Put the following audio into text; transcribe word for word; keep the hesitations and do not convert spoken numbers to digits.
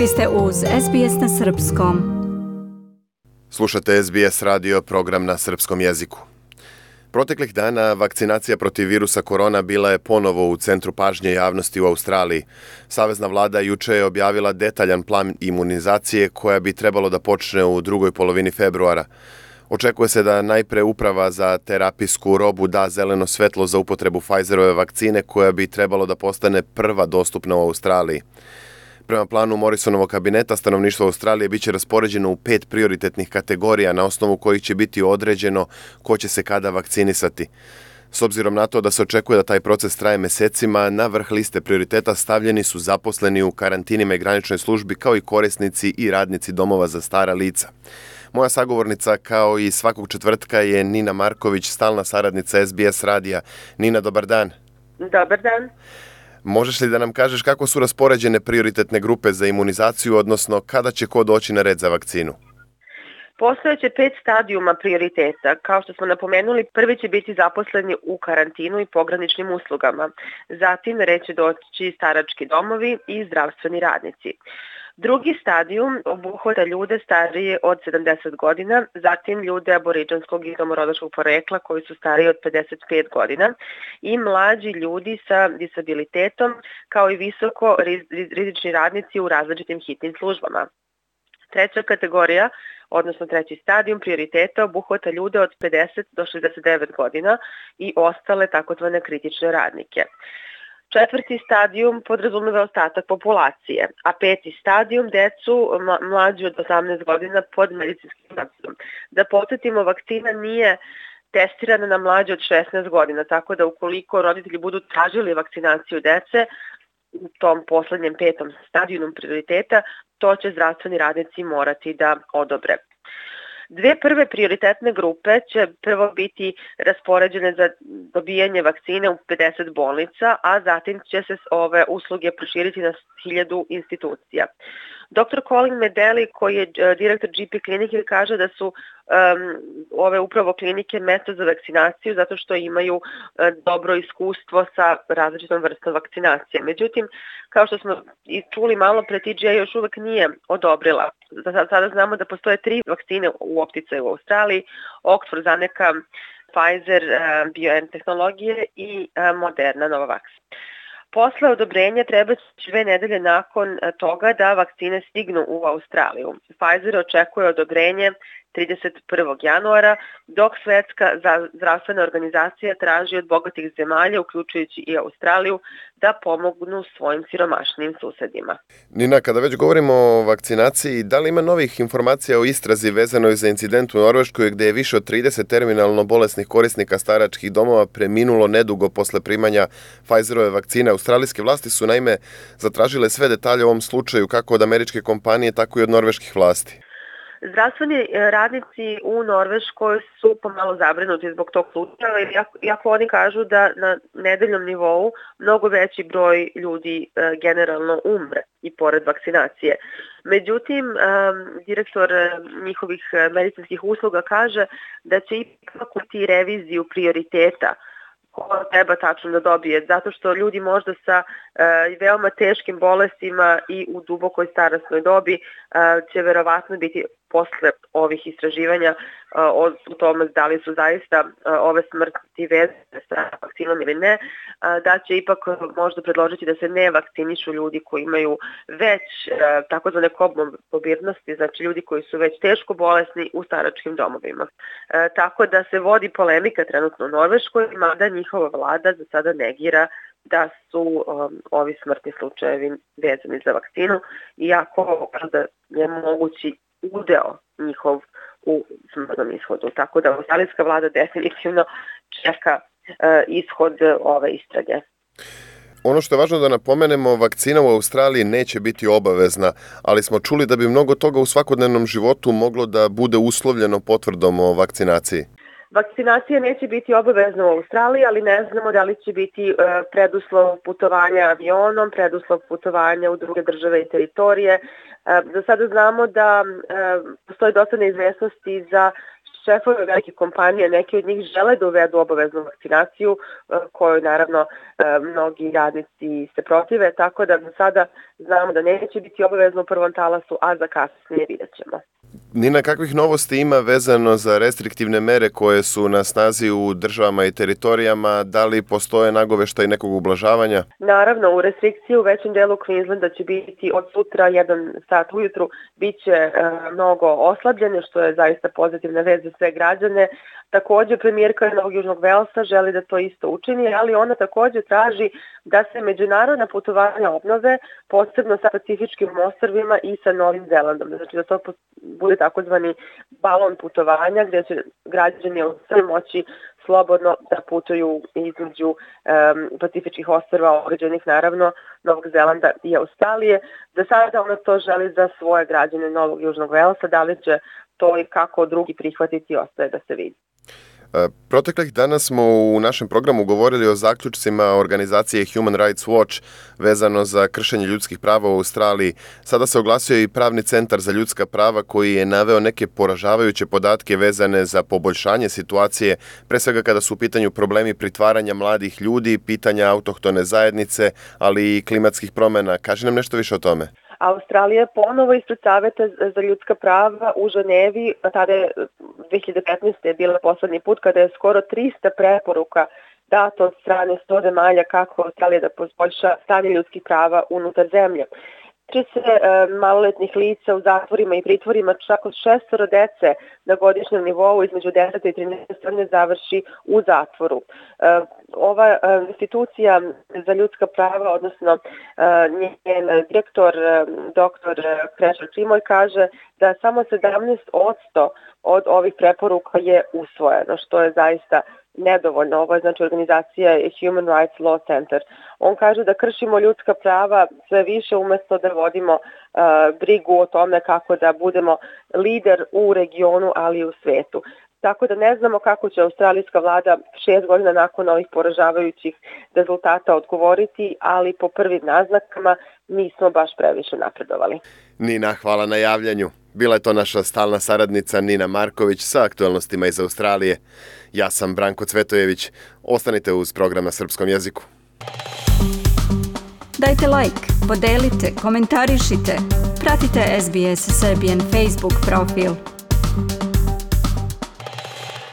Vi ste uz S B S na srpskom. Slušate S B S radio, program na srpskom jeziku. Proteklih dana vakcinacija protiv virusa korona bila je ponovo u centru pažnje javnosti u Australiji. Savezna vlada juče je objavila detaljan plan imunizacije koja bi trebalo da počne u drugoj polovini februara. Očekuje se da najpre Uprava za terapijsku robu da zeleno svetlo za upotrebu Pfizerove vakcine koja bi trebalo da postane prva dostupna u Australiji. Prema planu Morrisonovog kabineta, stanovništvo Australije biće raspoređeno u pet prioritetnih kategorija na osnovu kojih će biti određeno ko će se kada vakcinisati. S obzirom na to da se očekuje da taj proces traje mesecima, na vrh liste prioriteta stavljeni su zaposleni u karantinima i graničnoj službi kao i korisnici i radnici domova za stara lica. Moja sagovornica kao i svakog četvrtka je Nina Marković, stalna saradnica S B S radija. Nina, dobar dan. Dobar dan. Možeš li da nam kažeš kako su raspoređene prioritetne grupe za imunizaciju, odnosno kada će ko doći na red za vakcinu? Postojeće pet stadijuma prioriteta. Kao što smo napomenuli, prvi će biti zaposleni u karantinu i pograničnim uslugama. Zatim red će doći starački domovi i zdravstveni radnici. Drugi stadijum obuhvata ljude starije od sedamdeset godina, zatim ljude aboriđanskog i domorodačkog porekla koji su stariji od pedeset pet godina i mlađi ljudi sa disabilitetom kao i visoko rizični radnici u različitim hitnim službama. Treća kategorija, odnosno treći stadijum prioriteta obuhvata ljude od pedeset do šezdeset devet godina i ostale takozvane kritične radnike. Četvrti stadijum podrazumeva ostatak populacije, a peti stadijum decu mlađi od osamnaest godina pod medicinskim nadzorom. Da podsjetimo, vakcina nije testirana na mlađe od šesnaest godina, tako da ukoliko roditelji budu tražili vakcinaciju dece u tom poslednjem petom stadijumu prioriteta, to će zdravstveni radnici morati da odobre. Dve prve prioritetne grupe će prvo biti raspoređene za dobijanje vakcine u pedeset bolnica, a zatim će se ove usluge proširiti na hiljadu institucija. doktor Colin Medeli, koji je direktor G P klinike, kaže da su um, ove upravo klinike mesto za vakcinaciju zato što imaju uh, dobro iskustvo sa različitom vrstom vakcinacije. Međutim, kao što smo i čuli malo pre, T G A još uvek nije odobrila. Sada znamo da postoje tri vakcine u opticaju u Australiji, Oxford, AstraZeneca, Pfizer, uh, biotehnologije i uh, Moderna, Novavax. Posle odobrenja treba dve nedelje nakon toga da vakcine stignu u Australiju. Pfizer očekuje odobrenje trideset prvog januara, dok Svetska zdravstvena organizacija traži od bogatih zemalja, uključujući i Australiju, da pomognu svojim siromašnim susedima. Nina, kada već govorimo o vakcinaciji, da li ima novih informacija o istrazi vezanoj za incident u Norveškoj gde je više od trideset terminalno bolesnih korisnika staračkih domova preminulo nedugo posle primanja Pfizerove vakcine? Australijske vlasti su naime zatražile sve detalje o ovom slučaju kako od američke kompanije, tako i od norveških vlasti. Zdravstveni radnici u Norveškoj su pomalo zabrinuti zbog tog slučaja, iako, iako oni kažu da na nedeljnom nivou mnogo veći broj ljudi e, generalno umre i pored vakcinacije. Međutim, e, direktor njihovih medicinskih usluga kaže da će ipak biti reviziju prioriteta ko treba tačno da dobije, zato što ljudi možda sa e, veoma teškim bolestima i u dubokoj starosnoj dobi e, će verovatno biti posle ovih istraživanja o tome da li su zaista ove smrti vezane sa vakcinom ili ne, da će ipak možda predložiti da se ne vakcinišu ljudi koji imaju već takozvane komorbidnosti, znači ljudi koji su već teško bolesni u staračkim domovima. Tako da se vodi polemika trenutno u Norveškoj, mada njihova vlada za sada negira da su um, ovi smrtni slučajevi vezani za vakcinu, iako da je mogući udeo njihov u smrtnom ishodu. Tako da australijska vlada definitivno čeka uh, ishod ove istrage. Ono što je važno da napomenemo, vakcina u Australiji neće biti obavezna, ali smo čuli da bi mnogo toga u svakodnevnom životu moglo da bude uslovljeno potvrdom o vakcinaciji. Vakcinacija neće biti obavezna u Australiji, ali ne znamo da li će biti preduslov putovanja avionom, preduslov putovanja u druge države i teritorije. Za sada znamo da postoji dosta neizvesnosti za šefovi velikih kompanija, neki od njih žele da uvedu obaveznu vakcinaciju, koju naravno mnogi radnici se protive, tako da do sada znamo da neće biti obavezno u prvom talasu, a za kasnije vidjet ćemo. Nina, kakvih novosti ima vezano za restriktivne mere koje su na snazi u državama i teritorijama? Da li postoje nagoveštaj nekog ublažavanja? Naravno, u restrikciji u većem delu Queenslanda će biti od sutra jedan sat ujutru, bit će e, mnogo oslabljene, što je zaista pozitivna vez za sve građane. Također, premijerka Novog Južnog Velsa želi da to isto učini, ali ona također traži da se međunarodna putovanja obnove, posebno sa Pacifičkim ostrvima i sa Novim Zelandom. Znači da to bude takozvani balon putovanja gdje će građani sve moći slobodno da putuju između um, Pacifičkih ostrva, određenih naravno Novog Zelanda i Australije. Za sada ona to želi za svoje građane Novog Južnog Velsa, da li će to i kako drugi prihvatiti ostaje da se vidi. Proteklih dana smo u našem programu govorili o zaključcima organizacije Human Rights Watch vezano za kršenje ljudskih prava u Australiji. Sada se oglasio i Pravni centar za ljudska prava koji je naveo neke poražavajuće podatke vezane za poboljšanje situacije, pre svega kada su u pitanju problemi pritvaranja mladih ljudi, pitanja autohtone zajednice, ali i klimatskih promjena. Kaži nam nešto više o tome. Australija je ponovo ispred Saveta za ljudska prava u Ženevi, tada je dve hiljade petnaeste. je bila poslednji put kada je skoro tristo preporuka dato od strane sto zemalja kako Australija da poboljša stanje ljudskih prava unutar zemlje. Tiče se e, maloletnih lica u zatvorima i pritvorima, čak od šestoro dece na godišnjem nivou između deset i trinaest godine završi u zatvoru. E, ova e, institucija za ljudska prava, odnosno e, njen direktor, e, doktor Krešel Čimoj, kaže da samo sedamnaest posto od ovih preporuka je usvojeno, što je zaista nedovoljno. Ovo je znači organizacija Human Rights Law Center. On kaže da kršimo ljudska prava sve više umjesto da vodimo uh, brigu o tome kako da budemo lider u regionu, ali i u svetu. Tako da ne znamo kako će australijska vlada šest godina nakon ovih poražavajućih rezultata odgovoriti, ali po prvim naznakama nismo baš previše napredovali. Nina, hvala na javljanju. Bila je to naša stalna saradnica Nina Marković sa aktualnostima iz Australije. Ja sam Branko Cvetojević. Ostanite uz program na srpskom jeziku. Dajte like, podelite, komentarišite. Pratite S B S Serbian Facebook profil.